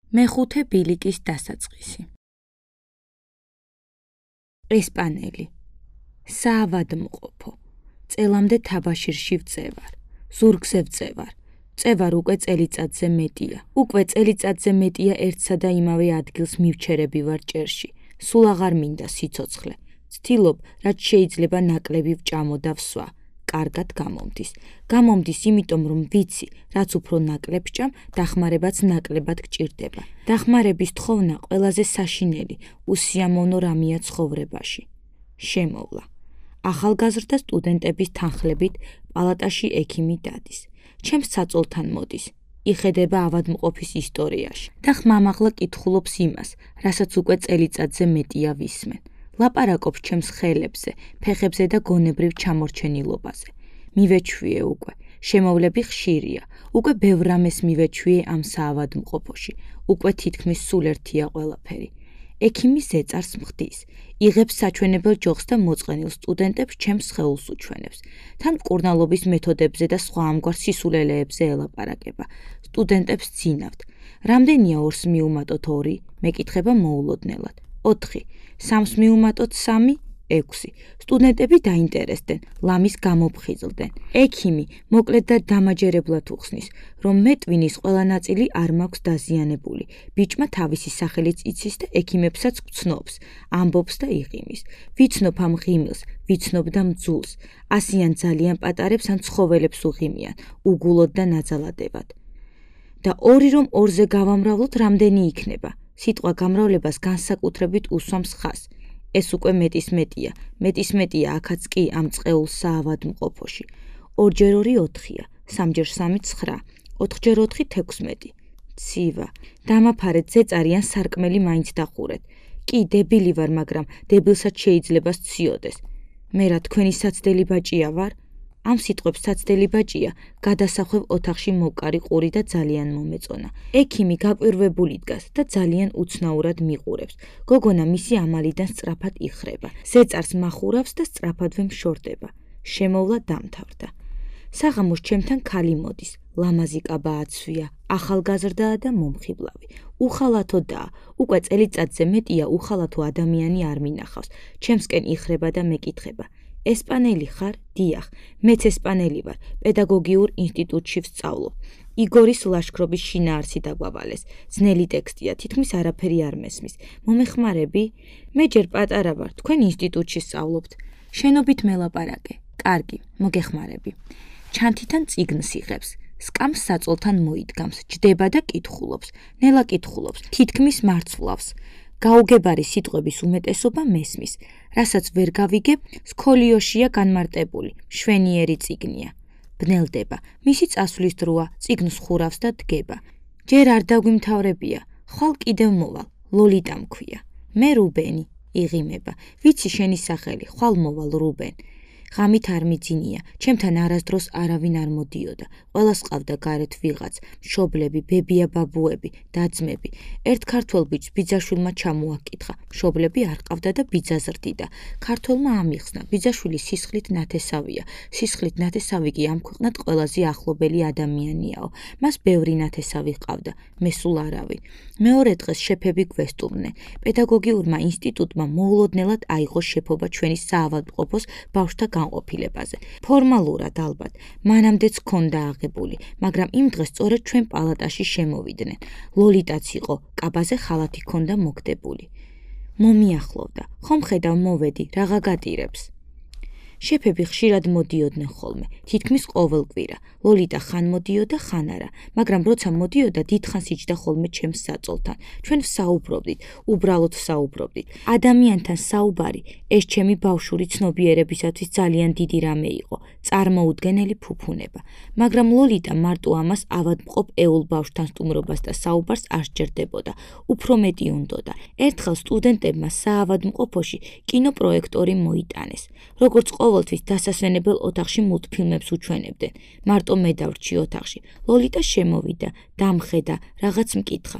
მეხუთე ბილიკის დასაწყისი. ესპანელი. საავადმყოფო. წელამდე თაბაშირში ვწევარ. ზურგზე ვწევარ. წევარ უკვე წელიწადზე მეტია. უკვე წელიწადზე მეტია ერთსა და იმავე ადგილს მივჩერები ვარ ჭერში. სულ აღარ მინდა სიცოცხლე. ვცდილობ, რაც შეიძლება ნაკლები ვჭამო და ვსვა. კარგად გამომდის. გამომდის იმიტომ, რომ ვიცი, რაც უფრო ნაკლებ ვჭამ, დახმარებაც ნაკლებად გჭირდება. დახმარების თხოვნა ყველაზე საშინელი, უსიამოვნო რამეა ცხოვრებაში. შემოვლა. ახალგაზრდა სტუდენტების თანხლებით პალატაში ექიმი დადის. ჩემს საწოლთან მოდის. იხედება ავადმყოფის ისტორიაში და ხმამაღლა კითხულობს იმას, რასაც უკვე წელიწადზე მეტია ვისმენ. ლაპარაკობს ჩემს ხელებზე, ფეხებზე და გონებრივ ჩამორჩენილობაზე. მივეჩვიე უკვე, შემოვლები ხშირია, უკვე ბევრ რამეს მივეჩვიე ამ საავადმყოფოში, უკვე თითქმის სულ ერთია ყველაფერი. ექიმი ზეწარს მხდის, იღებს საჩვენებელ ჯოხს და მოწყენილ სტუდენტებს ჩემს სხეულს უჩვენებს. თან მკურნალობის მეთოდებზე და სხვა ამგვარ სისულელეებზე ელაპარაკება. სტუდენტებს ძინავთ. რამდენია 2-ს მივუმატოთ 2? მეკითხება მოულოდნელად. 4. 3-ს მივუმატოთ 3? 6. სტუდენტები დაინტერესდნენ, ლამის გამოფხიზლდნენ. ექიმი მოკლედ და დამაჯერებლად უხსნის, რომ მე ტვინის ყველა ნაწილი არ მაქვს დაზიანებული. ბიჭმა თავისი სახელიც იცის და ექიმებსაც გცნობს, ამბობს და იღიმის. ვიცნობ ამ ღიმილს, ვიცნობ და მძულს. ასიან ძალიან პატარებს ან ცხოველებს უღიმიან, უგულოდ და ნაძალადებად. და 2 რომ 2-ზე გავამრავლოთ, რამდენი იქნება? სიტყვა გამრავლებას განსაკუთრებით უსვამს ხაზს. ეს უკვე მეტისმეტია, მეტისმეტია აქაც კი ამ წყეულ საავადმყოფოში. 2x2 4-ია, 3x3 9, 4x4 16. ცივა, დამაფარეთ ზეწარი ან სარკმელი მაინც დახურეთ. კი, დებილი ვარ, მაგრამ დებილსაც შეიძლება სციოდეს. მე რა თქვენი საცდელი ბაჭია ვარ? ამ სიტყვებს საცდელი ბაჭია გადასახვევ ოთახში მოვკარი ყური და ძალიან მომეწონა. ექიმი გაკვირვებული დგას და ძალიან უცნაურად მიყურებს. გოგონა მისი ამალიდან სწრაფად იხრება. ზეწარს მახურავს და სწრაფადვე მშორდება. შემოვლა დამთავრდა. საღამოს ჩემთან ქალი მოდის. ლამაზი კაბა აცვია, ახალგაზრდაა და მომხიბლავი. უხალათოდაა, უკვე წელიწადზე მეტია უხალათო ადამიანი არ მინახავს. ჩემსკენ იხრება და მეკითხება. ესპანელი ხარ? დიახ, მეც ესპანელი ვარ, პედაგოგიურ ინსტიტუტში ვსწავლობ. იგორის ლაშქრობის შინაარსი დაგვავალეს. ძნელი ტექსტია, თითქმის არაფერი არ მესმის. მომეხმარები? მე ჯერ პატარა ვარ, თქვენ ინსტიტუტში სწავლობთ. შენობით მელაპარაკე. კარგი, მოგეხმარები. ჩანთიდან წიგნს იღებს. სკამს საწოლთან მოიდგამს, ჯდება და კითხულობს. ნელა კითხულობს, თითქმის მარცვლავს. გაუგებარი სიტყვების უმეტესობა მესმის, რასაც ვერ გავიგებ, სქოლიოშია განმარტებული, მშვენიერი წიგნია. ბნელდება, მისი წასვლის დროა, წიგნს ხურავს და დგება. ჯერ არ დაგვიმთავრებია, ხვალ კიდევ მოვალ, ლოლიტა მქვია. მე რუბენი, იღიმება, ვიცი შენი სახელი, ხვალ მოვალ რუბენ. ღამით არ მიძინია, ჩემთან არასდროს არავინ არ მოდიოდა. ყველას ყავდა გარეთ ვიღაც, მშობლები, ბებია ბაბუები, და-ძმები. ერთ ქართველ ბიჭს ბიძაშვილმა ჩამოაკითხა, მშობლები არ ყავდა და ბიძა ზრდიდა. ქართველმა ამიხსნა, ბიძაშვილი სისხლით ნათესავია. სისხლით ნათესავი კი ამ ქვეყნად ყველაზე ახლობელი ადამიანიაო. მას ბევრი ნათესავი ყავდა, მე სულ არავინ. მეორე დღეს შეფები გვესტუმრნენ. პედაგოგიურმა ინსტიტუტმა მოულოდნელად აიღო შეფობა ჩვენი საავადმყოფოს ბავშვთა განყოფილებაზე. ფორმალურად ალბათ, მანამდეც ჰქონდა აღებული, მაგრამ იმ დღეს სწორედ ჩვენ პალატაში შემოვიდნენ. ლოლიტაც იყო, კაბაზე ხალათი ჰქონდა მოგდებული. მომიახლოვდა, ხომ ხედავ მოვედი, რაღა გატირებს. შეფები ხშირად მოდიოდნენ ხოლმე, თითქმის ყოველ კვირა. ლოლიტა ხან მოდიოდა, ხან არა, მაგრამ როცა მოდიოდა, დიდხანს იჯდა ხოლმე ჩემს საწოლთან. ჩვენ ვსაუბრობდით, უბრალოდ ვსაუბრობდით. ადამიანთან საუბარი, ეს ჩემი ბავშვური ცნობიერებისათვის ძალიან დიდი რამე იყო, წარმოუდგენელი ფუფუნება. მაგრამ ლოლიტა მარტო ამას ავადმყოფ ეულ ბავშვთან სტუმრობას და საუბარს არ სჯერდებოდა, უფრო მეტი უნდოდა. ერთხელ სტუდენტებმა საავადმყოფოში კინოპროექტორი მოიტანეს. როგორც ყოველთვის დასასვენებელ ოთახში მულტფილმებს უჩვენებდნენ. მარტო მე დავრჩი ოთახში. ლოლიტა შემოვიდა, დამხედა, რაღაც მკითხა.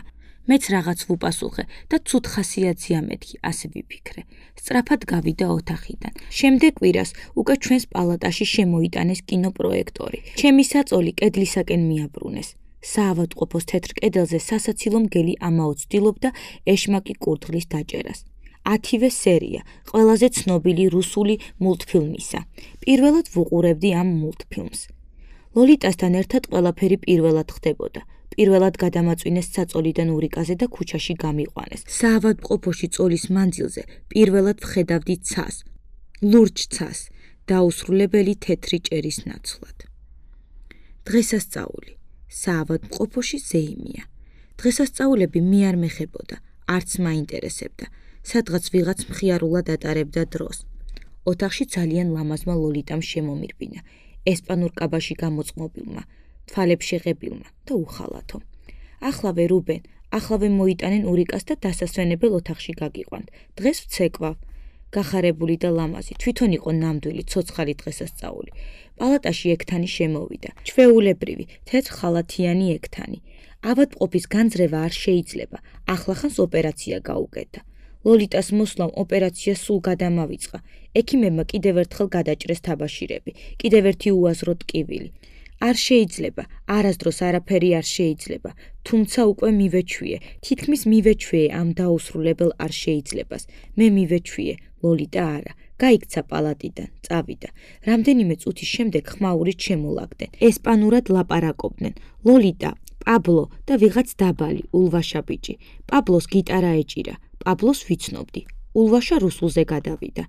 მეც რაღაც ვუპასუხე და ცუდ ხასიათზეა მეთქი, ასე ვიფიქრე. სწრაფად გავიდა ოთახიდან. შემდეგ კვირას უკვე ჩვენს პალატაში შემოიტანეს კინოპროექტორი. ჩემი საწოლი კედლისაკენ მიაბრუნეს. საავადმყოფოს თეთრ კედელზე სასაცილო მგელი ამაო ცდილობდა ეშმაკი კურდღლის დაჭერას. 10-ვე სერია ყველაზე ცნობილი რუსული მულტფილმისა. პირველად ვუყურებდი ამ მულტფილმს. ლოლიტასთან ერთად ყველაფერი პირველად ხდებოდა. პირველად გადამაწვინეს საწოლიდან ურიკაზე და ქუჩაში გამიყვანეს. საავადმყოფოში წოლის მანძილზე პირველად ვხედავდი ცას, ლურჯ ცას, დაუსრულებელი თეთრი ჭერის ნაცვლად. დღესასწაული. საავადმყოფოში ზეიმია. დღესასწაულები მე არ მეხებოდა, არც მაინტერესებდა. სადღაც ვიღაც მხიარულად ატარებდა დროს. ოთახში ძალიან ლამაზმა ლოლიტამ შემომირბინა, ესპანურ კაბაში გამოწყმობილმა, თვალებს შეღებილმა და უხალათო. Ახლავე რუბენ, ახლავე მოიტანენ ურიკას და დასასვენებელ ოთახში გაგიყვანთ. დღეს ვცეკვავ. გახარებული და ლამაზი, თვითონ იყო ნამდვილი ცოცხალი დღესასწაული. პალატაში ექთანი შემოვიდა, ჩვეულებრივი, თეთრ ხალათიანი ექთანი. ავადმყოფის განძრევა არ შეიძლება, ახლახანს ოპერაცია გაუკეთა. ლოლიტას მოსვლამ ოპერაცია სულ გადამავიწყა. ექიმებმა კიდევ ერთხელ გადაჭრეს თაბაშირები, კიდევ ერთი უაზრო ტკივილი. არ შეიძლება, არასდროს არაფერი არ შეიძლება, თუმცა უკვე მივეჩვიე, თითქმის მივეჩვიე ამ დაუსრულებელ არ შეიცლებას. მე მივეჩვიე, ლოლიტა არა. გაიქცა პალატიდან, წავიდა. რამდენიმე წუთის შემდეგ ხმაურით შემოლაგდნენ. ესპანურად ლაპარაკობდნენ. ლოლიტა, პაბლო და ვიღაც დაბალი, ულვაშა ბიჭი. პაბლოს გიტარა ეჭირა. პაბლოს ვიცნობდი. ულვაშა რუსულზე გადავიდა.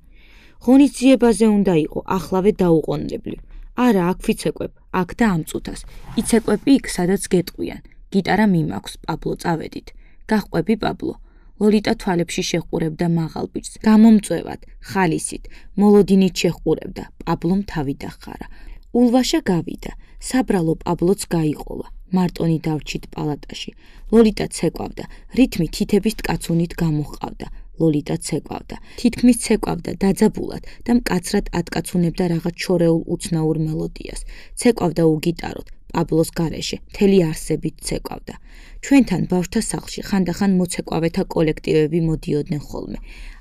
ღონისძიებაზე უნდა იყო, ახლავე დაუყოვნებლივ. არა, აქ ვიცეკვებ, აქ და ამ წუთას. იცეკვები იქ, სადაც გეტყვიან. გიტარა მიმაქვს, პაბლო, წავედით. გაჰყვები, პაბლო. ლოლიტა თვალებში შეჰყურებდა მაღალ ბიჭს. გამომწვევად, ხალისით, მოლოდინით შეჰყურებდა. პაბლომ თავი დახარა. ულვაშა გავიდა. საბრალო პაბლოც გაიყოლა. მარტონი დავრჩით პალატაში. ლოლიტა ცეკვავდა, რითმი თითების ტკაცუნით გამოჰყავდა. ლოლიტა ცეკვავდა, თითქმის ცეკვავდა დაძაბულად და მკაცრად ატკაცუნებდა რაღაც შორეულ უცნაურ მელოდიას. ცეკვავდა უგიტაროდ, პაბლოს გარეშე, მთელი არსებით ცეკვავდა. ჩვენთან ბავშვთა სახლში ხანდახან მოცეკვავეთა კოლექტივები მოდიოდნენ ხოლმე.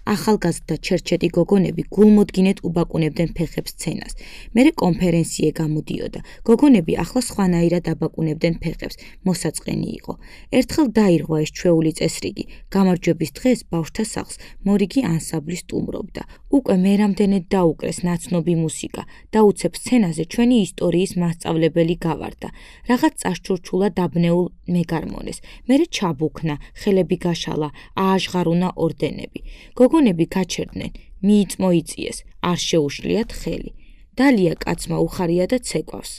ახალგაზრდა ჩერჩეტი გოგონები გულმოდგინედ უბაკუნებდნენ ფეხებს სცენას. მერე კონფერენციე გამოდიოდა. გოგონები ახლა სხვანაირად აბაკუნებდნენ ფეხებს, მოსაწყენი იყო. ერთხელ დაირღვა ეს ჩვეული წესრიგი. გამარჯვების დღეს ბავშვთა სახლს მორიგი ანსამბლი სტუმრობდა. უკვე მერამდენედ დაუკრეს ნაცნობი მუსიკა და უცებ სცენაზე ჩვენი ისტორიის მასწავლებელი გავარდა. რაღაც წაშჩურჩულა დაბნეულ მეგარმონეს. მერე ჩაბუქნა, ხელები გაშალა, ააჟღარულა ორდენები. გოგონები გაჩერდნენ, მიიწმოიწიეს, არ შეუშლიათ ხელი. დალია კაცმა უხარია და ცეკვავს.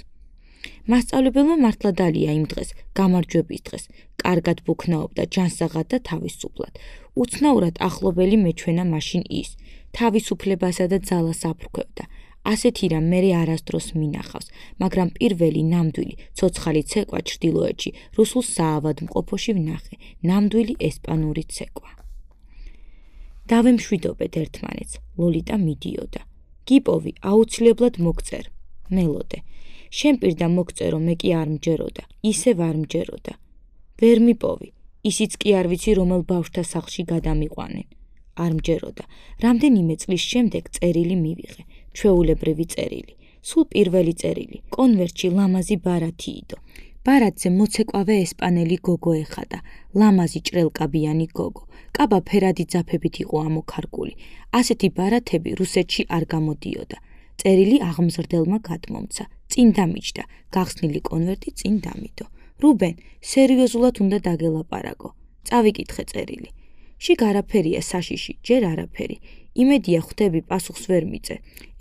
მასწავლებელმა მართლა დალია იმ დღეს, გამარჯვების დღეს, კარგად ბუქნაობდა ჯანსაღად და თავისუფლად. უცნაურად ახლობელი მეჩვენა მაშინ ის, თავისუფლებასა და ძალას აფრქვევდა. ასეთი რამ მერე არასდროს მინახავს, მაგრამ პირველი ნამდვილი ცოცხალი ცეკვა ჩრდილოეთში, რუსულ საავადმყოფოში ვნახე, ნამდვილი ესპანური ცეკვა. დავემშვიდობეთ ერთმანეთს, ლოლიტა მიდიოდა. გიპოვი, აუცილებლად მოგწერ, მელოდე. შენ პირდა მოგწერო, მე კი არ მჯეროდა, ისევ არ მჯეროდა. ვერ მიპოვი, ისიც კი არ ვიცი რომელ ბავშვთა სახლში გადამიყვანენ. არ მჯეროდა. რამდენიმე წლის შემდეგ წერილი მივიღე, ჩვეულებრივი წერილი. სულ პირველი წერილი, კონვერტში ლამაზი ბარათი იდო. ბარათზე მოცეკვავე ესპანელი გოგო ეხადა, ლამაზი ჭრელკაბიანი გოგო. კაბა ფერადი ძაფებით იყო ამოქარგული. ასეთი ბარათები რუსეთში არ გამოდიოდა. წერილი აღმზრდელმა გადმომცა, წინ დამიჯდა, გახსნილი კონვერტი წინ დამიდო. რუბენ, სერიოზულად უნდა დაგელაპარაკო. წავიკითხე წერილი. შიგ არაფერია საშიში, ჯერ არაფერი. იმედია ხვდები პასუხს ვერ მიწე.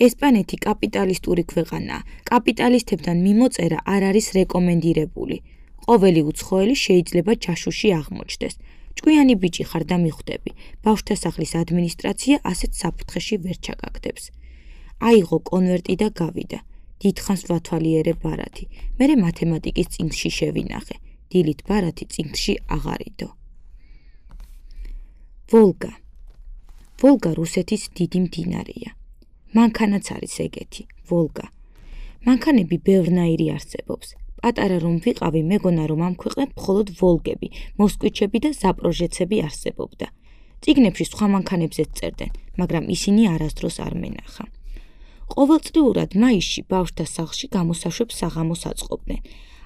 ესპანეთი კაპიტალისტური ქვეყანაა. კაპიტალისტებთან მიმოწერა არ არის რეკომენდირებული. ყოველი უცხოელი შეიძლება ჯაშუში აღმოჩნდეს. ჭკვიანი ბიჭი ხარ და მიხვდები. ბავშვთა სახლის ადმინისტრაცია ასეთ საფრთხეში ვერ ჩაგაგდებს. აიღო კონვერტი და გავიდა. დიდხანს ვათვალიერე ბარათი. მერე მათემატიკის წიგნში შევინახე. დილით ბარათი წიგნში აღარ იდო. ვოლგა. ვოლგა რუსეთის დიდი მდინარეა. მანქანაც არის ეგეთი, ვოლგა. მანქანები ბევრნაირი არსებობს. პატარა რომ ვიყავი, მეგონა რომ ამ ქვეყნად მხოლოდ ვოლგები, მოსკვიჩები და ზაპროჟეცები არსებობდა. წიგნებში სხვა მანქანებზეც წერდნენ, მაგრამ ისინი არასდროს არ მენახა. ყოველწლიურად მაისში ბავშვთა სახლში გამოსაშვებ საღამოს აწყობდნენ.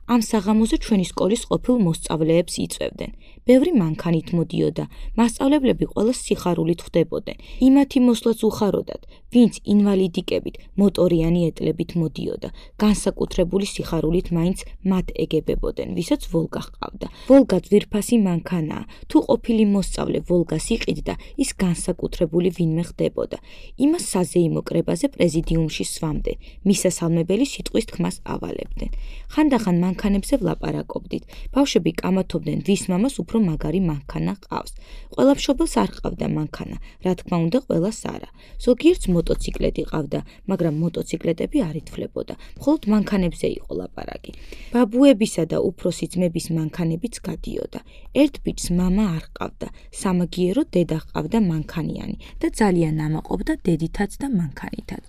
ამ საღამოზე ჩვენი სკოლის ყოფილ მოსწავლეებს იწვევდნენ. ბევრი მანქანით მოდიოდა, მასწავლებლები ყველას სიხარულით ხვდებოდნენ. იმათი მოსვლაც უხაროდათ, ვინც ინვალიდიკებით, მოტორიანი ეტლებით მოდიოდა, განსაკუთრებული სიხარულით მაინც მათ ეგებებოდნენ, ვისაც ვოლგა ჰყავდა. ვოლგა ძვირფასი მანქანაა, თუ ყოფილი მოსწავლე ვოლგას იყიდდა, ის განსაკუთრებული ვინმე ხდებოდა. იმას საზეიმო კრებაზე პრეზიდიუმში სვამდნენ, მისასალმებელი სიტყვის თქმას ავალებდნენ. ხანდახან მანქანებზე ვლაპარაკობდით. ბავშვები კამათობდნენ, ვის მამას უფრო მაგარი მანქანა ყავს. ყველა მშობელს არ ყავდა მანქანა, რა თქმა უნდა, ყველას არა. ზოგიერთს მოტოციკლეტი ყავდა, მაგრამ მოტოციკლეტები არ ითვლებოდა. მხოლოდ მანქანებზე იყო ლაპარაკი. ბაბუებისა და უფროსი ძმების მანქანებიც გადიოდა. ერთ ბიჭს მამა არ ყავდა, სამაგიეროდ დედა ყავდა მანქანიანი და ძალიან ამაყობდა დედითაც და მანქანითაც.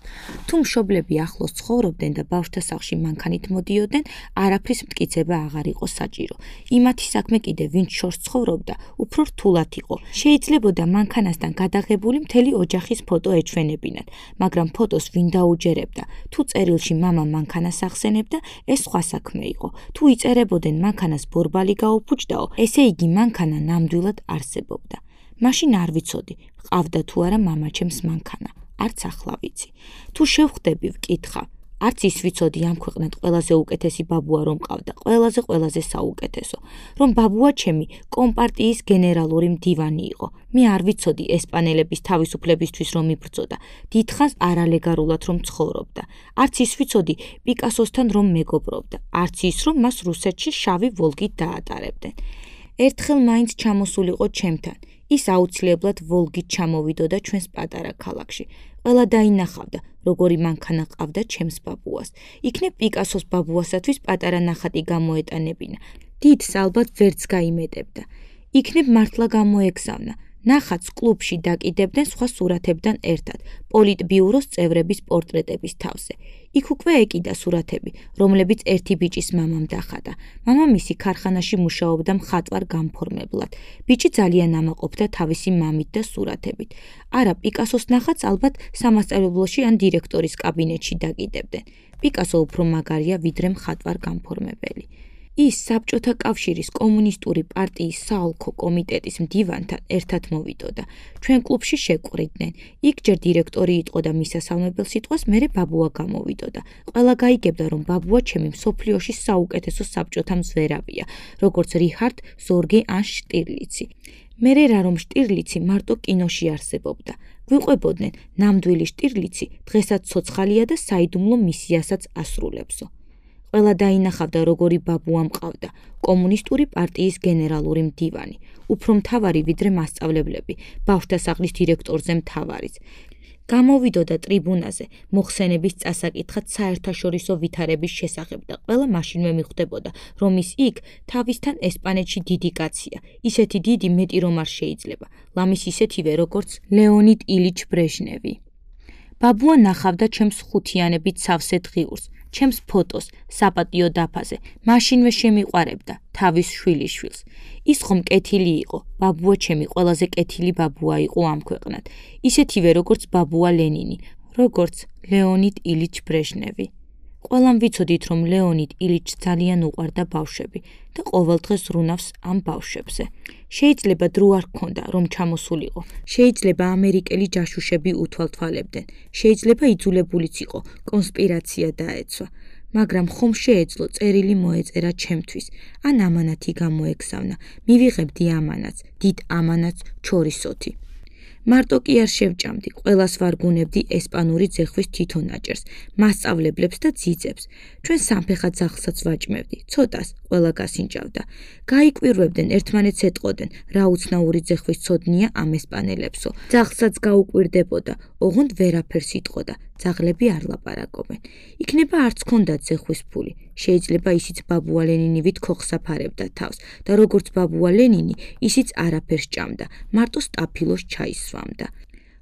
თუ მშობლები ახლოს ცხოვრობდნენ და ბავშვთა სახლში მანქანით მოდიოდნენ, არაფრის მტკიცება აღარ იყო საჭირო. იმათი საქმე კიდე ვინც შორს ცხოვრობდა, უფრო რთულად იყო. შეიძლებოდა მანქანასთან გადაღებული მთელი ოჯახის ფოტო ეჩვენებინათ, მაგრამ ფოტოს ვინ დაუჯერებდა. თუ წერილში მამა მანქანას ახსენებდა, ეს სხვა საქმე იყო. თუ იწერებოდნენ მანქანას ბორბალი გაუფუჭდაო, ესე იგი მანქანა ნამდვილად არსებობდა. მაშინ არ ვიცოდი, ყავდა თუ არა მამაჩემს მანქანა. არც ახლა ვიცი. თუ შევხვდები, ვკითხავ. არც ის ვიცოდი ამ ქვეყნად ყველაზე უკეთესი ბაბუა რომ ყავდა, ყველაზე საუკეთესო, რომ ბაბუა ჩემი კომპარტიის გენერალური მდივანი იყო. მე არ ვიცოდი ესპანელების თავისუფლებისთვის რომ იბრძოდა, დიდხანს არალეგალურად რომ ცხოვრობდა. არც ის ვიცოდი პიკასოსთან რომ მეგობრობდა, არც ის რომ მას რუსეთში შავი ვოლგით დაატარებდნენ. ერთხელ მაინც ჩამოსულიყო ჩემთან. ის აუცილებლად ვოლგით ჩამოვიდოდა ჩვენს პატარა ქალაქში. ყველა დაინახავდა, როგორი მანქანა ყავდა ჩემს ბაბუას. იქნებ პიკასოს ბაბუასათვის პატარა ნახატი გამოეტანებინა. დიდს ალბათ ვერც გაიმეტებდა. იქნებ მართლა გამოეგზავნა. ნახატს კლუბში დაკიდებდნენ სხვა სურათებთან ერთად, პოლიტბიუროს წევრების პორტრეტების თავზე. იქ უკვე ეკიდა სურათები, რომლებიც ერთი ბიჭის მამამ დახატა. მამამისი ქარხანაში მუშაობდა მხატვარ გამფორმებლად. ბიჭი ძალიან ამაყობდა თავისი მამით და სურათებით. არა, პიკასოს ნახატს ალბათ სამასწავლებლოში ან დირექტორის კაბინეტში დაკიდებდნენ. პიკასო უფრო მაგარია ვიდრე მხატვარ გამფორმებელი. ის საბჭოთა კავშირის კომუნისტური პარტიის საოლქო კომიტეტის მდივანთან ერთად მოვიდოდა. ჩვენ კლუბში შეკვრიდნენ. იქ ჯერ დირექტორი იყო და მისასალმებელ სიტყვას მერე ბაბუა გამოვიდოდა. ყველა გაიგებდა, რომ ბაბუა ჩემი მსოფლიოში საუკეთესო საბჭოთა მზვერავია, როგორც რიჰარდ ზორგე ან შტირლიცი. მერე რა რომ შტირლიცი მარტო კინოში არსებობდა. გვიყვებოდნენ, ნამდვილი შტირლიცი დღესაც ცოცხალია და საიდუმლო მისიასაც ასრულებსო. ყველა დაინახავდა, როგორი ბაბუა მყავდა, კომუნისტური პარტიის გენერალური მდივანი, უფრო მთავარი ვიდრე მასწავლებლები, ბავშვთა სახლის დირექტორზე მთავარიც. გამოვიდოდა ტრიბუნაზე, მოხსენების წასაკითხად საერთაშორისო ვითარების შესახებ და ყველა მაშინვე მიხვდებოდა, რომ ის იქ თავისთან ესპანეთში დიდი კაცია, ისეთი დიდი მეტი რომ არ შეიძლება, ლამის ისეთივე როგორც ლეონიდ ილიჩ ბრეჟნევი. ბაბუა ნახავდა ჩემს ხუთიანებით სავსე დღიურს, ჩემს ფოტოს, საპატიო დაფაზე, მაშინვე შემიყვარებდა თავის შვილიშვილს. ის ხომ კეთილი იყო, ბაბუა ჩემი ყველაზე კეთილი ბაბუა იყო ამ ქვეყნად, ისეთივე როგორც ბაბუა ლენინი, როგორც ლეონიდ ილიჩ ბრეჟნევი. ყველამ ვიცოდით, რომ ლეონიდ ილიჩს ძალიან უყვარდა ბავშვები და ყოველდღე ზრუნავს ამ ბავშვებზე. შეიძლება დრო არ ჰქონდა, რომ ჩამოსულიყო. შეიძლება ამერიკელი ჯაშუშები უთვალთვალებდნენ. შეიძლება იძულებულიც იყო, კონსპირაცია დაეცვა. მაგრამ ხომ შეეძლო წერილი მოეწერა ჩემთვის, ან ამანათი გამოეგზავნა. მივიღებდი ამანათს, დიდ ამანათს ჩორისოთი. მარტო კი არ შევჭამდი, ყველას ვარგუნებდი ესპანური ძეხვის თვითონაჭერს, მასწავლებლებს და ძიძებს. ჩვენ სამფეხა ძაღლსაც ვაჭმევდი, ცოტას, ყველა გასინჯავდა. გაიკვირვებდნენ, ერთმანეთს ეტყოდნენ, რა უცნაური ძეხვის ცოდნია ამ ესპანელებსო. ძაღლსაც გაუკვირდებოდა, ოღონდ ვერაფერს იტყოდა, ძაღლები არ ლაპარაკობენ. იქნება არც ჰქონდათ ძეხვის ფული. შეიძლება ისიც ბაბუა ლენინივით ქოხსაფარებდა თავს და როგორც ბაბუა ლენინი, ისიც არაფერს ჭამდა, მარტო სტაფილოს ჩაის სვამდა.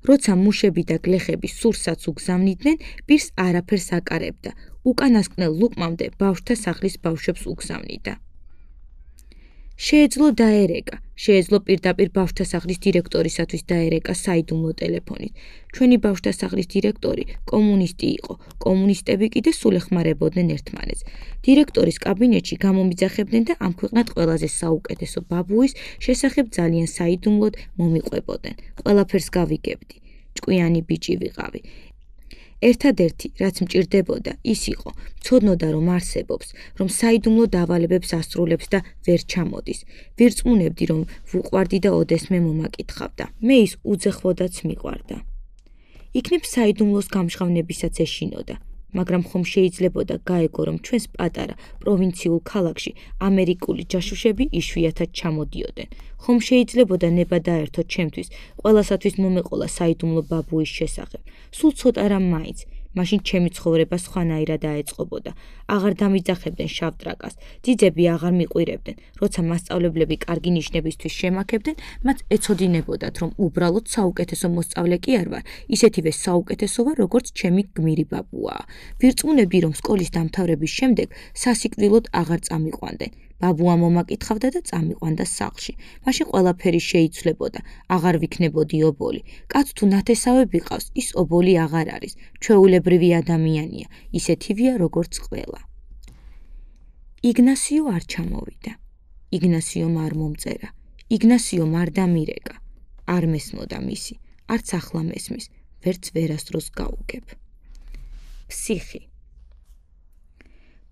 როცა მუშები და გლეხები სურსაც უგზავნიდნენ, პირს არაფერს აკარებდა, უკანასკნელ ლუკმამდე ბავშვთა სახლის ბავშვებს უგზავნიდა. შეეძლო დაერეკა, შეეძლო პირდაპირ ბავშვთა სახლის დირექტორისათვის დაერეკა საიდუმლო ტელეფონით. ჩვენი ბავშვთა სახლის დირექტორი კომუნისტი იყო, კომუნისტები კიდე სულ ეხმარებოდნენ ერთმანეთს. დირექტორის კაბინეტში გამომიძახებდნენ და ამ ქვეყნად ყველაზე საუკეთესო ბაბუის შესახებ ძალიან საიდუმლოდ მომიყვებოდნენ. ყველაფერს გავიგებდი. ჭკვიანი ბიჭი ვიყავი. ერთადერთი, რაც მჭირდებოდა, ის იყო, მცოდნოდა რომ არსებობს, რომ საიდუმლო დავალებებს ასრულებს და ვერ ჩამოდის. ვირწმუნებდი, რომ ვუყვარდი და ოდესმე მომაკითხავდა. მე ის უძეხვოდაც მიყვარდა. იქნებ საიდუმლოს გამჟღავნებისაც ეშინოდა. მაგრამ ხომ შეიძლებოდა გაეგო, რომ ჩვენს პატარა პროვინციულ ქალაქში ამერიკული ჯაშუშები იშვიათად ჩამოდიოდნენ. ხომ შეიძლებოდა ნება დაერთო ჩემთვის, ყველასათვის მომეყოლა საიდუმლო ბაბუის შესახებ. სულ ცოტა რამ მაინც. მაშინ ჩემი ცხოვრება სხვანაირად დაეწყობოდა. აღარ დამიძახებდნენ შავ ტრაკას, ძიძები აღარ მიყვირებდნენ. როცა მასწავლებლები კარგი ნიშნებისთვის შემაქებდნენ, მათ ეცოდინებოდათ, რომ უბრალოდ საუკეთესო მოსწავლე კი არ ვარ, ისეთივე საუკეთესო ვარ, როგორც ჩემი გმირი ბაბუაა. ვირწმუნებდი, რომ სკოლის დამთავრების შემდეგ სასიკვდილოდ აღარ წამიყვანდნენ. ბაბუა მომაკითხავდა და წამიყვანდა სახლში. მაშინ ყველაფერი შეიცვლებოდა, აღარ ვიქნებოდი ობოლი. კაც თუ ნათესავები ყავს, ის ობოლი აღარ არის. ჩვეულებრივი ადამიანია, ისეთივეა როგორც ყველა. იგნასიო არ ჩამოვიდა. იგნასიომ არ მომწერა. იგნასიომ არ დამირეკა. არ მესმოდა მისი, არც ახლა მესმის, ვერც ვერასდროს გაუგებ. ფსიხი.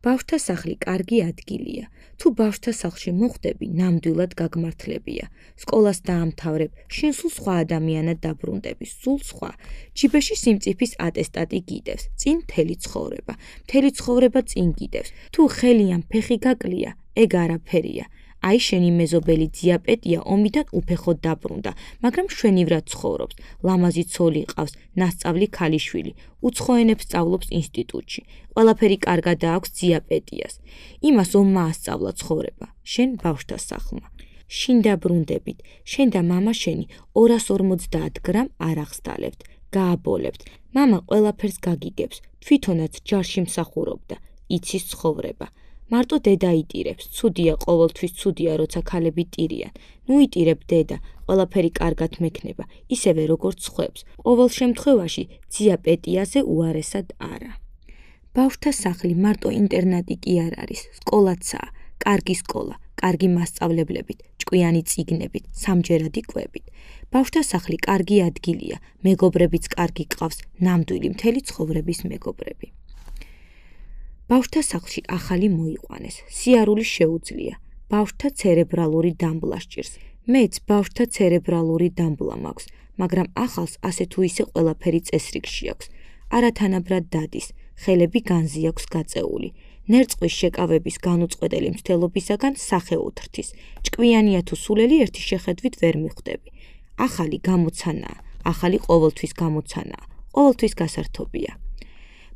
ბავშვთა სახლი კარგი ადგილია. თუ ბავშვთა სახლში მოხვდები, ნამდვილად გაგმართლებია. სკოლას დაამთავრებ, შენ სულ სხვა ადამიანად დაბრუნდები, სულ სხვა. ჯიბეში სიმწიფის ატესტატი გიდევს, წინ მთელი ცხოვრება. მთელი ცხოვრება წინ გიდევს. თუ ხელი ან ფეხი გაკლია, ეგ არაფერია. აი შენი მეზობელი დიაპეტია ომიდან უფეხოდ დაბრუნდა, მაგრამ შვენივრად ცხოვრობს. ლამაზი ცოლი ყავს, ნასწავლი ქალიშვილი, უცხო ენებს სწავლობს ინსტიტუტში. ყველაფერი კარგად აქვს დიაპეტიას. იმას ომმა ასწავლა ცხოვრება, შენ ბავშვთა სახლმა. შინ დაბრუნდებით, შენ და მამა შენი 250 გრამ არ აღსდალებთ, გააბოლებთ. მამა ყველაფერს გაგიგებს, თვითონაც ჯარში მსახურობდა, იცის ცხოვრება. მარტო დედა იტირებს, ცუდია ყოველთვის ცუდია, როცა ქალები ტირიან. ნუ იტირებ დედა, ყველაფერი კარგად მექნება, ისევე როგორც ხვებს. ყოველ შემთხვევაში დიაპეტიაზე უარესად არა. ბავშვთა სახლი მარტო ინტერნატი კი არ არის, სკოლაცაა, კარგი სკოლა, კარგი მასწავლებლებით, ჭკვიანი წიგნებით, სამჯერადი კვებით. ბავშვთა სახლი კარგი ადგილია, მეგობრებიც კარგი ყავს, ნამდვილი მთელი ცხოვრების მეგობრები. ბავშვთა სახლში ახალი მოიყვანეს, სიარული შეუძლია, ბავშვთა ცერებრალური დამბლა სჭირს. მეც ბავშვთა ცერებრალური დამბლა მაქვს, მაგრამ ახალს ასე თუ ისე ყველაფერი წესრიგში აქვს. არათანაბრად დადის, ხელები განზი აქვს გაწეული. ნერწყვის შეკავების განუწყვეტელი მცდელობისაგან სახე უთრთის. ჭკვიანია თუ სულელი ერთი შეხედვით ვერ მიხვდები. ახალი გამოცანაა, ახალი ყოველთვის გამოცანაა, ყოველთვის გასართობია.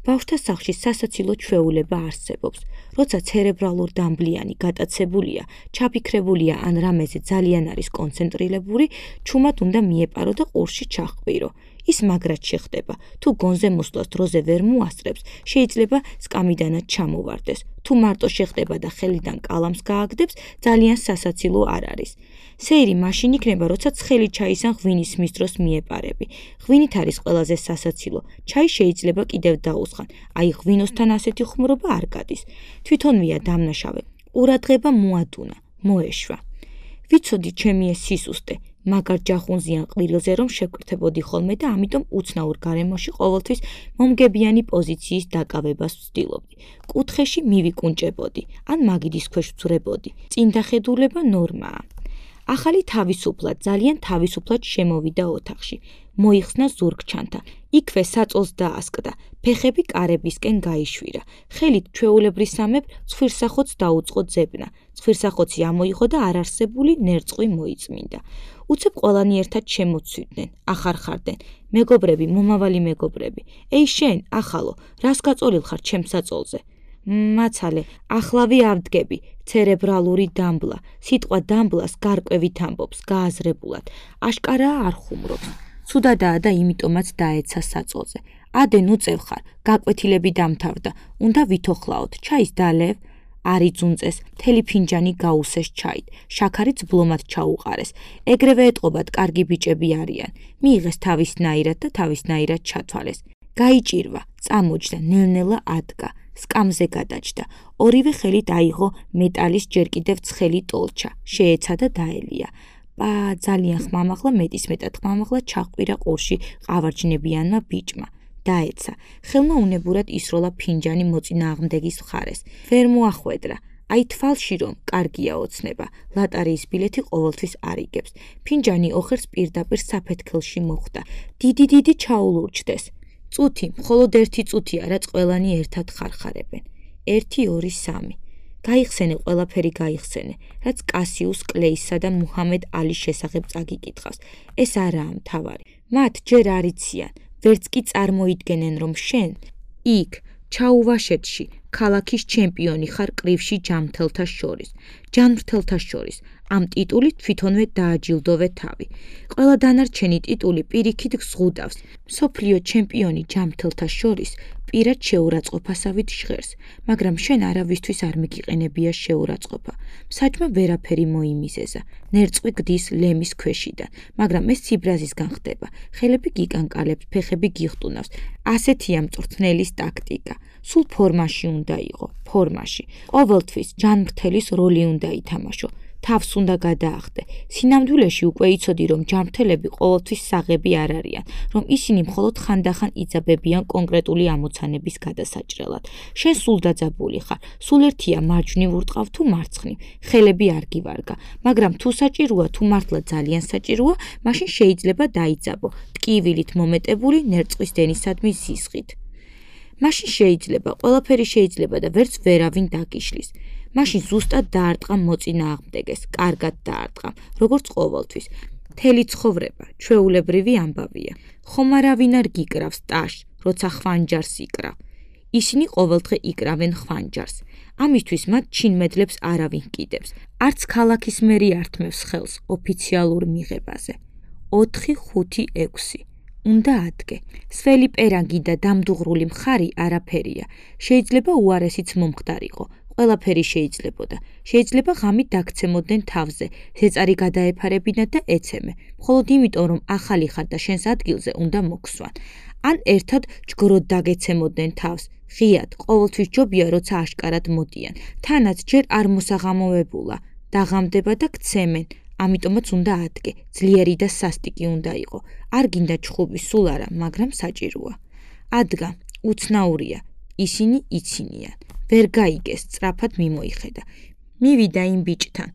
ბავშვთა სახლში სასაცილო ჩვეულება არსებობს. როცა ცერებრალურ დამბლიანი გატაცებულია, ჩაფიქრებულია ან რამეზე ძალიან არის კონცენტრირებული, ჩუმად უნდა მიეპარო და ყურში ჩაჰყვირო. ის მაგრად შეხდება. თუ გონზე მოსვლას დროზე ვერ მოასწრებს, შეიძლება სკამიდანაც ჩამოვარდეს. თუ მარტო შეხდება და ხელიდან კალამს გააგდებს, ძალიან სასაცილო არ არის. სეირი მაშინ იქნება, როცა ცხელი ჩაის ან ღვინის მის დროს მიეპარები. ღვინით არის ყველაზე სასაცილო. ჩაი შეიძლება კიდევ დაუსხან. აი ღვინოსთან ასეთი ხუმრობა არ გადის. თვითონვია დამნაშავე. ყურადღება მოადუნა, მოეშვა. ვიცოდი ჩემი ეს სისუსტე. მაგარ ჯახუნზიან ყვირილზე რომ შევკრთებოდი ხოლმე და ამიტომ უცნაურ გარემოში ყოველთვის მომგებიანი პოზიციის დაკავებას ვცდილობდი. კუთხეში მივიკუნჭებოდი, ან მაგიდის ქვეშ ვძვრებოდი. წინდახედულება ნორმაა. ახალი თავისუფლად, ძალიან თავისუფლად შემოვიდა ოთახში. მოიხსნა ზურგჩანთა. იქვე საწოლს დაასკდა. ფეხები კარებისკენ გაიშვირა. ხელით ჩვეულებრისამებრ ცხვირსახოც დაუწყო ძებნა. ცხვირსახოცი ამოიღო და არარსებული ნერწყვი მოიწმინდა. უცებ ყველანი ერთად შემოცვიდნენ, ახარხარდნენ. მეგობრები, მომავალი მეგობრები. ეი შენ, ახალო, რას გაწოლილ ხარ ჩემს საწოლზე? მაცალე, ახლავე ავდგები, ცერებრალური დამბლა. სიტყვა დამბლას გარკვევით ამბობს, გააზრებულად. აშკარაა არ ხუმრობს. ცუდადაა და იმიტომაც დაეცა საწოლზე. ადე ნუ წევ ხარ, გაკვეთილები დამთავრდა. უნდა ვითოხლაოთ, ჩაის დალევ. არი ძუნწეს, მთელი ფინჯანი გაუსეს ჩაით, შაქარიც ბლომად ჩაუყარეს. ეგრევე ეტყობათ კარგი ბიჭები არიან. მიიღეს თავისნაირად და თავისნაირად ჩათვალეს. გაიჭირვა, წამოჯდა, ნელ-ნელა ადგა, სკამზე გადაჯდა. ორივე ხელით აიღო მეტალის ჯერ კიდევ ცხელი ტოლჩა, შეეცა და დაელია. ძალიან ხმამაღლა, მეტისმეტად ხმამაღლა ჩაჰყვირა ყურში ყავარჯნებიანმა ბიჭმა. დაეცა, ხელმა უნებურად ისროლა ფინჯანი მოწინააღმდეგის მხარეს. ვერ მოახვედრა. აი თვალში რომ კარგია ოცნება, ლატარიის ბილეთი ყოველთვის არ იგებს. ფინჯანი ოხერს პირდაპირ საფეთქელში მოხვდა. დიდი ჩაულურჯდეს. წუთი, მხოლოდ ერთი წუთია, რაც ყველანი ერთად ხარხარებენ. 1, 2, 3. გაიხსენე ყველაფერი გაიხსენე, რაც კასიუს კლეისა და მუჰამედ ალის შესახებ წაგიკითხავს. ეს არაა მთავარი. მათ ჯერ არ იციან, ვერც კი წარმოიდგენენ, რომ შენ იქ, ჩაუვაშეთში, ქალაქის ჩემპიონი ხარ კრივში ჯანმრთელთა შორის. ჯანმრთელთა შორის. ამ ტიტულით თვითონვე დააჯილდოვე თავი. ყველა დანარჩენი ტიტული პირიქით ზღუდავს. მსოფლიო ჩემპიონი ჯანმრთელთა შორის პირად შეურაცხყოფასავით ჟღერს, მაგრამ შენ არავისთვის არ მიგიყენებია შეურაცხყოფა. მსაჯმა ვერაფერი მოიმიზეზა. ნერწყვი გდის ლემის ქვეშიდან, მაგრამ ეს ციბრაზისგან ხდება. ხელები გიკანკალებს, ფეხები გიხტუნავს. ასეთია მწვრთნელის ტაქტიკა. სულ ფორმაში უნდა იყო, ფორმაში. ყოველთვის ჯანმრთელის როლი უნდა ითამაშო. თავს უნდა გადაახდე. სინამდვილეში უკვე იცოდი, რომ ჯანმრთელები ყოველთვის საღები არ არიან, რომ ისინი მხოლოდ ხანდახან იძაბებიან კონკრეტული ამოცანების გადასაჭრელად. შენ სულ დაძაბული ხარ, სულ ერთია მარჯვნივ ურტყავ თუ მარცხნივ, ხელები არ გივარგა, მაგრამ თუ საჭიროა, თუ მართლა ძალიან საჭიროა, მაშინ შეიძლება დაიძაბო, ტკივილით მომეტებული ნერწყვის დენისადმი სისხლით. მაშინ შეიძლება, ყველაფერი შეიძლება და ვერც ვერავინ დაგიშლის. მაშინ ზუსტად დაარტყა მოწინააღმდეგეს, კარგად დაარტყა, როგორც ყოველთვის. მთელი ცხოვრება, ჩვეულებრივი ამბავია. ხომ არავინ არ გიკრავს ტაშს, როცა ხვანჯარს იკრავ. ისინი ყოველდღე იკრავენ ხვანჯარს. ამისთვის მათ ჩინმედლებს არავინ კიდებს. არც ქალაქის მერი ართმევს ხელს ოფიციალურ მიღებაზე. 4, 5, 6. უნდა ადგე. სველი პერანგი და დამდუღრული მხარი არაფერია. შეიძლება უარესიც მომხდარიყო. ყველაფერი შეიძლებოდა. შეიძლება ღამით დაგცემოდნენ თავზე, ზეწარი გადაეფარებინათ და ეცემე. მხოლოდ იმიტომ, რომ ახალი ხარ და შენს ადგილზე უნდა მოგვსვან. ან ერთად ჯგროდ დაგეცემოდნენ თავს. ღიად, ყოველთვის ჯობია, როცა აშკარად მოდიან. თანაც ჯერ არ მოსაღამოებულა. დაღამდება და გცემენ. ამიტომაც უნდა ადგე. ძლიერი და სასტიკი უნდა იყო. არ გინდა ჩხუბი სულ არა, მაგრამ საჭიროა. ადგა, უცნაურია. ისინი იცინიან. ვერ გაიგეს, სწრაფად მიმოიხედა. მივიდა იმ ბიჭთან,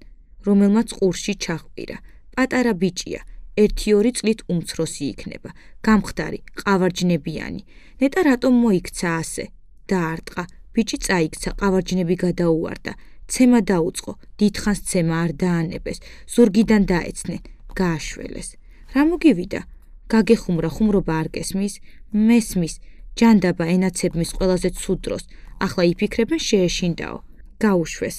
რომელმაც ყურში ჩაჰყვირა. პატარა ბიჭია, 1-2 წლით უმცროსი იქნება. გამხდარი, ყავარჯნებიანი. ნეტა რატომ მოიქცა ასე? დაარტყა. ბიჭი წაიქცა, ყავარჯნები გადაუვარდა. ცემა დაუწყო, დიდხანს ცემა არ დაანებეს. ზურგიდან დაეცნენ, გააშველეს. რა მოგივიდა? გაგეხუმრა, ხუმრობა არ გესმის? მესმის. ჯანდაბა ენაცებმის ყველაზე ცუდ დროს. ახლა იფიქრებენ შეეშინდაო. გაუშვეს.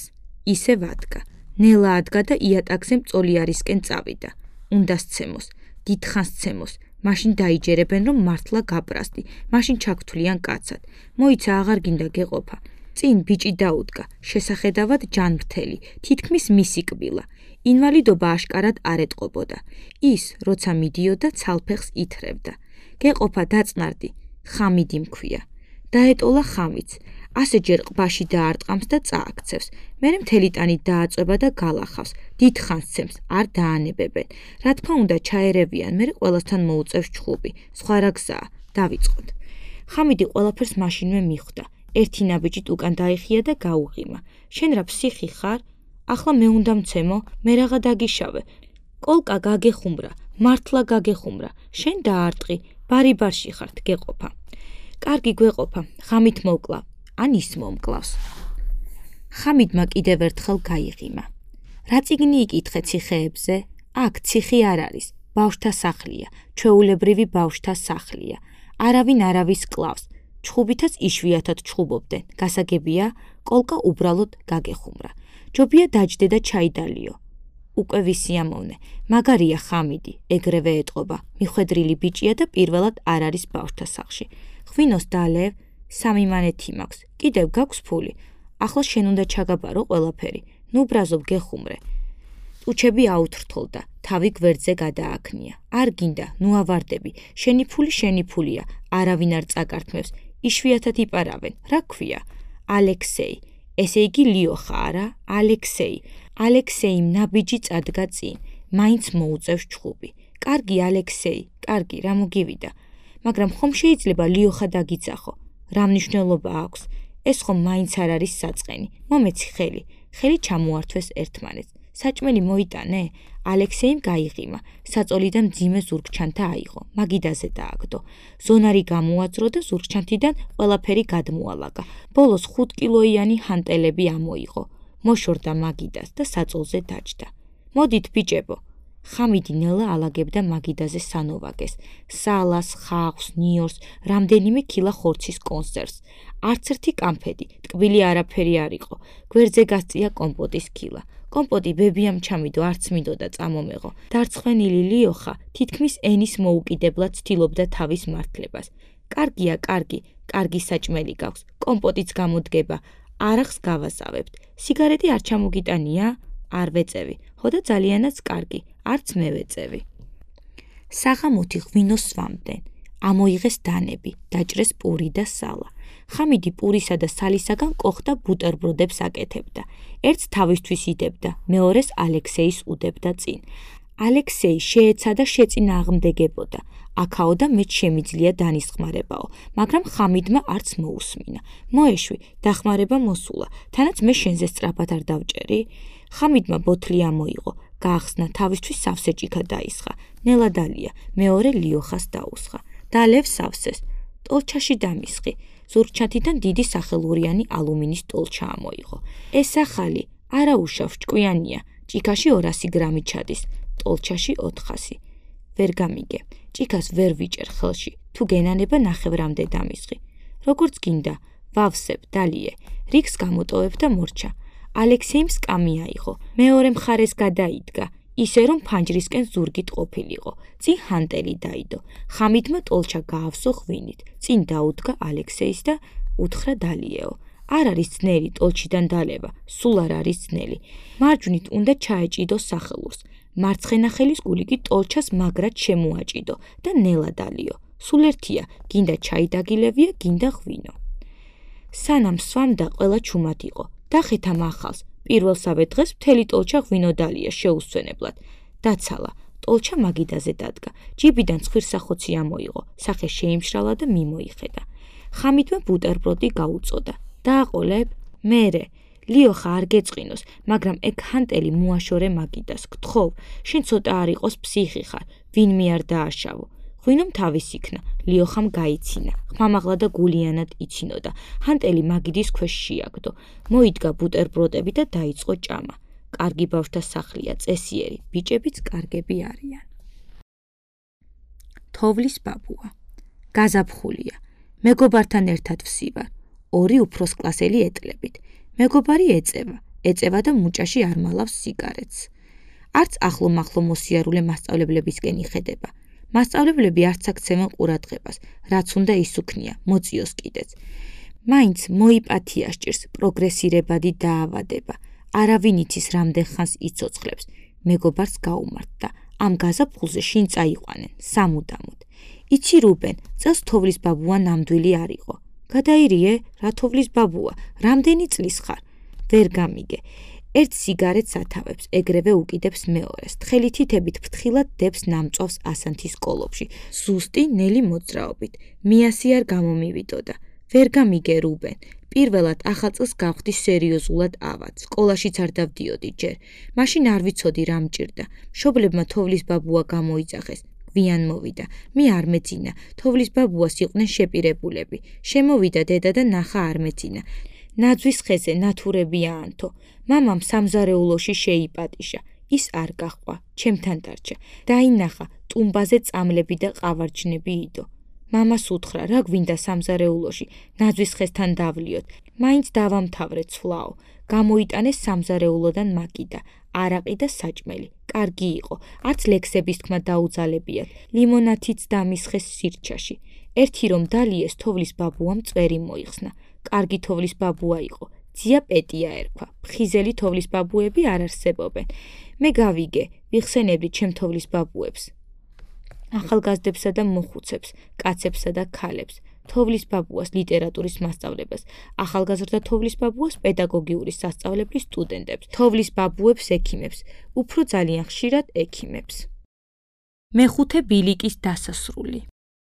ისევ ადგა. ნელა ადგა და იატაკზე მწოლიარისკენ წავიდა. უნდა სცემოს. დიდხანს ცემოს. მაშინ დაიჯერებენ, რომ მართლა გაპრასტი. მაშინ ჩაგთვლიან კაცად. მოიცა აღარ გინდა გეყოფა. წინ ბიჭი დაუდგა. შესახედავად ჯანმრთელი. თითქმის მისი კბილა. ინვალიდობა აშკარად არ ეტყობოდა. ის, როცა მიდიოდა, ცალფეხს ითრევდა. გეყოფა დაწნარდი. ხამიდი მქვია. დაეტოლა ხამიც. ასეჯერ ყბაში დაარტყამს და წააქცევს. მერე მთელი ტანი დააწვება და გალახავს. დიდხანს ცემს, არ დაანებებენ. რა თქმა უნდა ჩაერევიან, მერე ყველასთან მოუწევს ჩხუბი. სხვა რა გზაა, დავიწყოთ. ხამიდი ყველაფერს მაშინვე მიხვდა. ერთი ნაბიჯით უკან დაიხია და გაუღიმა. შენ რა ფსიხი ხარ? ახლა მე უნდა მცემო, მე რაღა დაგიშავე. კოლკა გაგეხუმრა, მართლა გაგეხუმრა. შენ დაარტყი, ბარი-ბარში ხართ, გეყოფა. კარგი გვეყოფა, ხამით მოვკლა. ან ის მომკლავს. ხამიდმა კიდევ ერთხელ გაიღიმა. რა წიგნი იკითხე ციხეებზე? აქ ციხი არ არის, ბავშთა სახლია, ჩვეულებრივი ბავშთა სახლია. არავინ არავის კლავს. ჩხუბითაც იშვიათად ჩხუბობდნენ. გასაგებია, კოლკა უბრალოდ გაგეხუმრა. ჯობია დაჯდე და ჩაიდალიო. უკვე ვისიამოვნე, მაგარია ხამიდი, ეგრევე ეტყობა, მიხვედრილი ბიჭია და პირველად არ არის ბავშთა სახლში. ღვინოს დალევ, 3 მანეთი მაქვს, კიდევ გაქვს ფული. ახლა შენ უნდა ჩაგაბარო ყველაფერი. ნუ ბრაზობ გეხუმრე. ტუჩები აუთრთოლდა, თავი გვერდზე გადააქნია. არ გინდა, ნუ ავარდები. შენი ფულია, არავინ არ წაკართმევს. იშვიათად იპარავენ. რა ქვია? ალექსეი. ესე იგი ლიოხა არა? ალექსეი. ალექსეიმ ნაბიჯი წადგა წინ. მაინც მოუწევს ჩხუბი. კარგი ალექსეი, კარგი, რა მოგივიდა. მაგრამ ხომ შეიძლება ლიოხა დაგიცახო? რა მნიშვნელობა აქვს? ეს ხომ მაინც არ არის საწყენი. მომეცი ხელი. ხელი ჩამოართვეს ერთმანეთს. საჭმელი მოიტანე? ალექსეიმ გაიღიმა. საწოლიდან მძიმე ზურგჩანთა აიღო. მაგიდაზე დააგდო. ზონარი გამოაძრო და ზურგჩანთიდან ყველაფერი გადმოალაგა. ბოლოს 5 კილოიანი ჰანტელები ამოიღო. მოშორდა მაგიდას და საწოლზე დაჯდა. მოდით ბიჭებო. ხამიდი ნელა ალაგებდა მაგიდაზე სანოვაგეს, სალას, ხახვს, ნიორს, რამდენიმე ქილა ხორცის კონსერვს. არც ერთი კამფედი, ტკბილი არაფერი არ იყო. გვერდზე გასწია კომპოტის ქილა. კომპოტი ბებიამ ჩამიდო, არც მინდოდა წამომეღო. დარცხვენილი ლიოხა თითქმის ენის მოუკიდებლად ცდილობდა თავის მართლებას. კარგია, კარგი საჭმელი გაქვს, კომპოტიც გამოდგება. არახს გავასავებთ. სიგარეტი არ ჩამოგიტანია? არ ვეწევი, ხოდა ძალიანაც კარგი, არც მე ვეწევი. საღამოთი ღვინოს სვამდნენ. ამოიღეს დანები, დაჭრეს პური და სალა. ხამიდი პურისა და სალისაგან კოხდა ბუტერბროდებს აკეთებდა. ერთს თავისთვის იდებდა, მეორეს ალექსეის უდებდა წინ. ალექსეი შეეცადა შეწინააღმდეგებოდა. აქაო და მეც შემიძლია განისხმარებაო, მაგრამ ხამიდმა არც მოусმინა. მოეშვი, დახმარება მოსულა, თანაც მე შენზე სწრაფად არ დავჭერი? ხამიდმა ბოთლი ამოიღო, გაახსნა, თავისთვის სავსე ჭიქა დაისხა. ნელა დალია, მეორე ლიოხას დაუსხა. დალევ სავსეს, ტოლჩაში დამისხი. ზურგჩათიდან დიდი სახელურიანი ალუმინის ტოლჩა ამოიღო. ეს ახალი, არა უშავს, ჭკვიანია, ჭიქაში 200 გრამი ჩადის, ტოლჩაში 400. ვერ გამიგე, ჭიქას ვერ ვიჭერ ხელში, თუ გენანება ნახევრამდე დამისხი. როგორც გინდა, ვავსებ, დალიე, რიგს გამოტოვებ და მორჩა. ალექსეიმ სკამი აიღო, მეორე მხარეს გადაიდგა, ისე რომ ფანჯრისკენ ზურგით ყოფილიყო. წინ ჰანტელი დაიდო. ხამიდმა ტოლჩა გაავსო ღვინით. წინ დაუდგა ალექსეის და უთხრა დალიეო. არ არის ძნელი ტოლჩიდან დალევა, სულ არ არის ძნელი. მარჯვნით უნდა ჩაეჭიდო სახელურს. მარცხენა ხელის გული კი ტოლჩას მაგრად შემოაჭიდო და ნელა დალიო. სულ ერთია, გინდა ჩაი დაგილევია, გინდა ღვინო. სანამ სვამდა ყველა ჩუმად იყო. დახეთა მახალს, პირველსავე დღეს მთელი ტოლჩა ღვინო დალია შეუსვენებლად. დაცალა, ტოლჩა მაგიდაზე დადგა. ჯიბიდან ცხვირსახოცი ამოიღო, სახე შეიმშრალა და მიმოიხედა. ხამიდმა ბუტერბროდი გაუწოდა. დააყოლებ? მერე. ლიოხა არ გეწყინოს, მაგრამ ეგ ჰანტელი მოაშორე მაგიდას. გთხოვ, შენ ცოტა არ იყოს ფსიხი ხარ, ვინმე არ დააშავო. ღვინომ თავის იქნა, ლიოხამ გაიცინა, ხმამაღლა და გულიანად იცინოდა. ჰანტელი მაგიდის ქვეშ შეაგდო. მოიდგა ბუტერბროდები და დაიწყო ჭამა. კარგი ბავშვთა სახლია, წესიერი, ბიჭებიც კარგები არიან. თოვლის ბაბუა. გაზაფხულია. მეგობართან ერთად ვსივარ. 2 უფროსკლასელი ეტლებით. მეგობარი ეწევა და მუჭაში არ მალავს სიგარეტს. არც ახლო-მახლო მოსიარულე მასწავლებლებისკენ იხედება. მასწავლებლები არც აქცევენ ყურადღებას, რაც უნდა ისუქნია, მოწიოს კიდეც. მაინც მოიპათია სჭირს პროგრესირებადი დაავადება. არავინ იცის რამდენ ხანს იცოცხლებს. მეგობარს გაუმართდა. ამ გაზაფხულზე შინ წაიყვანენ, სამუდამოდ. იცი რუბენ, წელს თოვლის ბაბუა ნამდვილი არ იყო. გადაირიე, რა თოვლის ბაბუა, რამდენი წლის ხარ? ვერ გამიგე. ერთ სიგარეტს ათავებს, ეგრევე უკიდებს მეორეს. თხელი თითებით ფრთხილად დებს ნამწვავს ასანთის კოლოფში. ზუსტი ნელი მოძრაობით. მიასი არ გამომივიდოდა. ვერ გამიგე რუბენ. პირველად ახალწელს გავხდი სერიოზულად ავად. სკოლაშიც არ დავდიოდი ჯერ. მაშინ არ ვიცოდი რა მჭირდა. მშობლებმა თოვლის ბაბუა გამოიძახეს. გვიან მოვიდა. მე არ მეძინა. თოვლის ბაბუას იყვნენ შეპირებულები. შემოვიდა დედა და ნახა არ მეძინა. ნაძვის ხეზე ნათურებია ანთო. მამამ სამზარეულოში შეიპატიშა. ის არ გაჰყვა, ჩემთან დარჩა. დაინახა, ტუმბაზე წამლები და ყავარჯნები იდო. მამას უთხრა, რა გვინდა სამზარეულოში, ნაძვის ხესთან დავლიოთ. მაინც დავამთავრე ცვლაო. გამოიტანეს სამზარეულოდან მაგიდა, არაყი და საჭმელი. კარგი იყო, არც ლექსების თქმა დაუძალებიათ. ლიმონათიც დამისხეს სირჩაში. ერთი რომ დალიეს, თოვლის ბაბუამ წვერი მოიხსნა. კარგი თოვლის ბაბუა იყო, ძია პეტია ერქვა. ფხიზელი თოვლის ბაბუები არ არსებობენ. მე გავიგე, ვიხსენებდი ჩემ თოვლის ბაბუებს. ახალგაზრდებსა და მოხუცებს, კაცებსა და ქალებს, თოვლის ბაბუას ლიტერატურის მასწავლებას, ახალგაზრდა თოვლის ბაბუას პედაგოგიური სასწავლებლის სტუდენტებს, თოვლის ბაბუებს ექიმებს, უფრო ძალიან ხშირად ექიმებს. მეხუთე ბილიკის დასასრული.